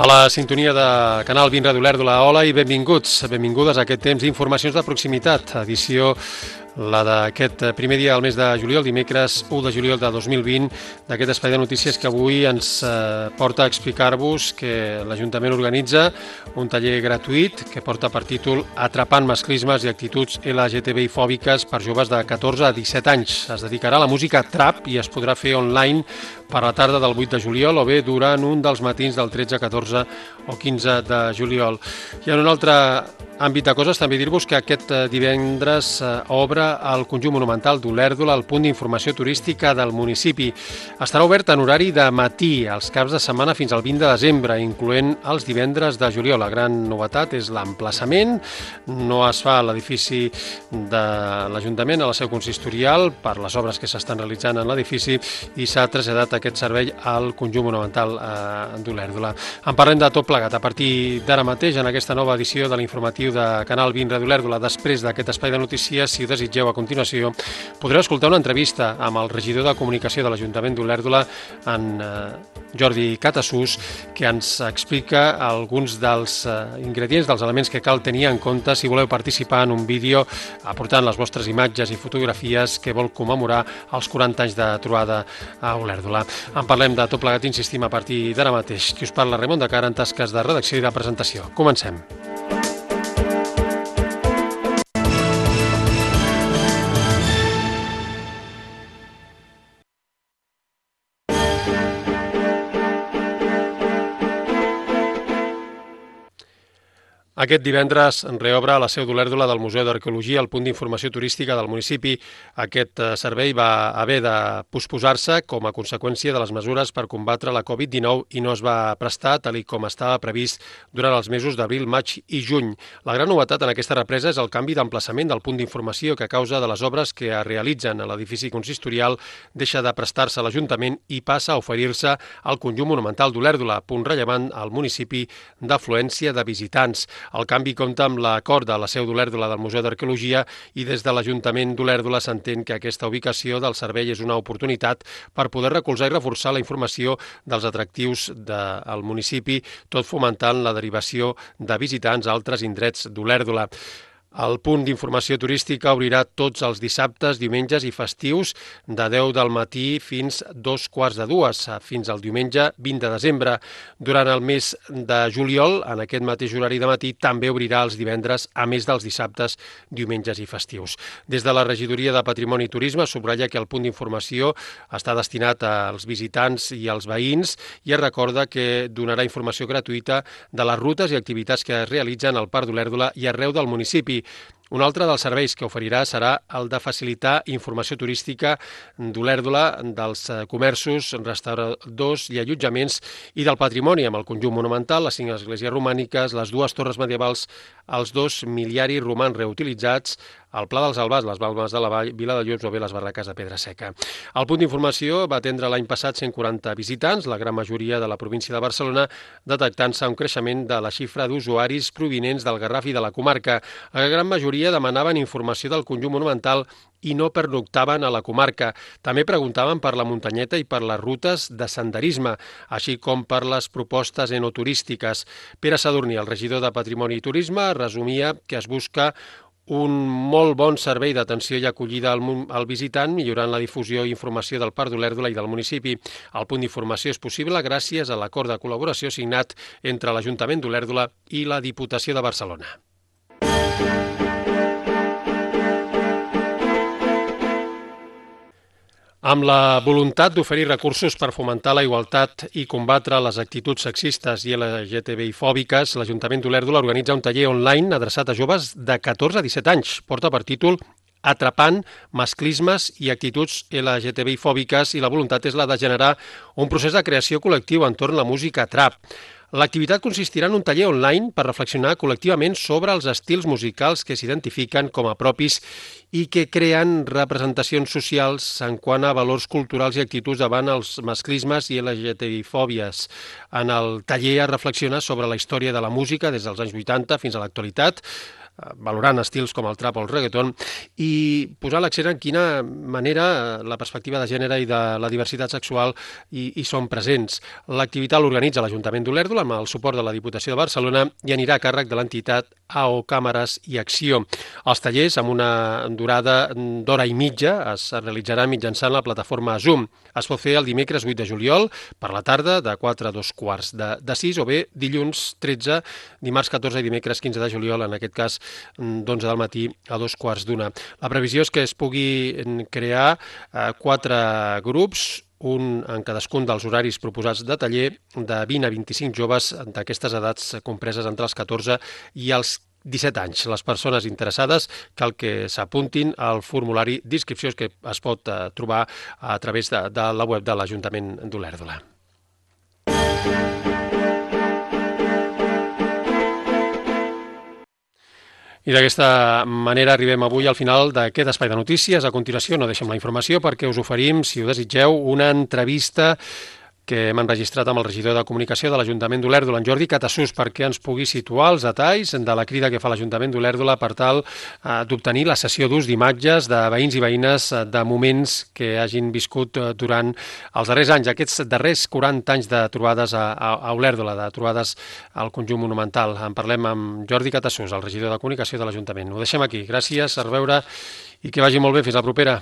A la sintonia de Canal 20 Ràdio Olèrdola, hola i benvingudes a aquest temps d'informacions de proximitat, edició la d'aquest primer dia del mes de juliol, dimecres 1 de juliol de 2020, d'aquest espai de notícies que avui ens porta a explicar-vos que l'Ajuntament organitza un taller gratuït que porta per títol Atrapant masclismes i actituds LGTBI fòbiques per joves de 14 a 17 anys. Es dedicarà a la música trap i es podrà fer online per la tarda del 8 de juliol o bé durant un dels matins del 13, 14 o 15 de juliol. I en un altre àmbit de coses, també dir-vos que aquest divendres obre el Conjunt Monumental d'Olèrdola, el punt d'informació turística del municipi. Estarà obert en horari de matí, els caps de setmana fins al 20 de desembre, incloent els divendres de juliol. La gran novetat és l'emplaçament. No es fa a l'edifici de l'Ajuntament, a la seu consistorial, per les obres que s'estan realitzant en l'edifici, i s'ha traslladat aquest servei al Conjunt Monumental d'Olèrdola. En parlem de tot plegat a partir d'ara mateix en aquesta nova edició de l'informatiu de Canal 20 Ràdio Olèrdola. Després d'aquest espai de notícies, si ho desitgeu a continuació, podreu escoltar una entrevista amb el regidor de Comunicació de l'Ajuntament d'Olèrdola, en Jordi Catasús, que ens explica alguns dels ingredients, dels elements que cal tenir en compte si voleu participar en un vídeo aportant les vostres imatges i fotografies que vol commemorar els 40 anys de trobada a Olèrdola. En parlem de tot plegat, insistim, a partir d'ara mateix. Qui us parla, Raimon de Cara, en tasques de redacció i de presentació. Comencem. Aquest divendres reobre a la seu d'Olèrdola del Museu d'Arqueologia el punt d'informació turística del municipi. Aquest servei va haver de posposar-se com a conseqüència de les mesures per combatre la Covid-19 i no es va prestar tal com estava previst durant els mesos d'abril, maig i juny. La gran novetat en aquesta represa és el canvi d'emplaçament del punt d'informació que a causa de les obres que es realitzen a l'edifici consistorial deixa de prestar-se a l'Ajuntament i passa a oferir-se al Conjunt Monumental d'Olèrdola, punt rellevant al municipi d'afluència de visitants. El canvi compta amb l'acord de la seu d'Olèrdola del Museu d'Arqueologia i des de l'Ajuntament d'Olèrdola s'entén que aquesta ubicació del servei és una oportunitat per poder recolzar i reforçar la informació dels atractius del municipi, tot fomentant la derivació de visitants a altres indrets d'Olèrdola. El punt d'informació turística obrirà tots els dissabtes, diumenges i festius de 10 del matí fins 2:15, fins al diumenge 20 de desembre. Durant el mes de juliol, en aquest mateix horari de matí, també obrirà els divendres, a més dels dissabtes, diumenges i festius. Des de la Regidoria de Patrimoni i Turisme subratlla que el punt d'informació està destinat als visitants i als veïns i es recorda que donarà informació gratuïta de les rutes i activitats que es realitzen al Parc d'Olèrdola i arreu del municipi. Un altre dels serveis que oferirà serà el de facilitar informació turística d'Olèrdola, dels comerços, restauradors i allotjaments i del patrimoni, amb el conjunt monumental, les 5 esglésies romàniques, les 2 torres medievals, els 2 miliaris romans reutilitzats, el Pla dels Albars, les Balmes de la Vall, Vila de Llops o bé les barraques de Pedra Seca. El punt d'informació va atendre l'any passat 140 visitants, la gran majoria de la província de Barcelona, detectant-se un creixement de la xifra d'usuaris provinents del Garraf i de la comarca. La gran majoria demanaven informació del conjunt monumental i no pernoctaven a la comarca. També preguntaven per la muntanyeta i per les rutes de senderisme, així com per les propostes enoturístiques. Pere Sadurní, el regidor de Patrimoni i Turisme, resumia que es busca un molt bon servei d'atenció i acollida al visitant, millorant la difusió i informació del Parc d'Olèrdola i del municipi. El punt d'informació és possible gràcies a l'acord de col·laboració signat entre l'Ajuntament d'Olèrdola i la Diputació de Barcelona. Amb la voluntat d'oferir recursos per fomentar la igualtat i combatre les actituds sexistes i LGTBI fòbiques, l'Ajuntament d'Olèrdola organitza un taller online adreçat a joves de 14 a 17 anys. Porta per títol Atrapant masclismes i actituds LGTBI fòbiques i la voluntat és la de generar un procés de creació col·lectiu entorn la música trap. L'activitat consistirà en un taller online per reflexionar col·lectivament sobre els estils musicals que s'identifiquen com a propis i que creen representacions socials en quant a valors culturals i actituds davant els masclismes i LGTBI-fòbies. En el taller es reflexiona sobre la història de la música des dels anys 80 fins a l'actualitat, valorant estils com el trap o el reggaeton, i posar l'accent en quina manera la perspectiva de gènere i de la diversitat sexual hi són presents. L'activitat l'organitza l'Ajuntament d'Olèrdola amb el suport de la Diputació de Barcelona i anirà a càrrec de l'entitat AO Càmeres i Acció. Els tallers, amb una durada d'hora i mitja, es realitzaran mitjançant la plataforma Zoom. Es pot fer el dimecres 8 de juliol per la tarda de 4 a 2 quarts de 6 o bé dilluns 13, dimarts 14 i dimecres 15 de juliol, en aquest cas d'11 del matí a 2 quarts d'una. La previsió és que es pugui crear 4 grups, un en cadascun dels horaris proposats de taller, de 20 a 25 joves d'aquestes edats compreses entre els 14 i els 17 anys. Les persones interessades cal que s'apuntin al formulari d'inscripció que es pot trobar a través de la web de l'Ajuntament d'Olèrdola. I d'aquesta manera arribem avui al final d'aquest espai de notícies. A continuació no deixem la informació perquè us oferim, si ho desitgeu, una entrevista que hem enregistrat amb el regidor de Comunicació de l'Ajuntament d'Olèrdola, en Jordi Catasús, perquè ens pugui situar els detalls de la crida que fa l'Ajuntament d'Olèrdola per tal d'obtenir la sessió d'ús d'imatges de veïns i veïnes de moments que hagin viscut durant els darrers anys, aquests darrers 40 anys de trobades a Olèrdola, de trobades al conjunt monumental. En parlem amb Jordi Catasús, el regidor de Comunicació de l'Ajuntament. Ho deixem aquí. Gràcies, a reveure i que vagi molt bé. Fins la propera.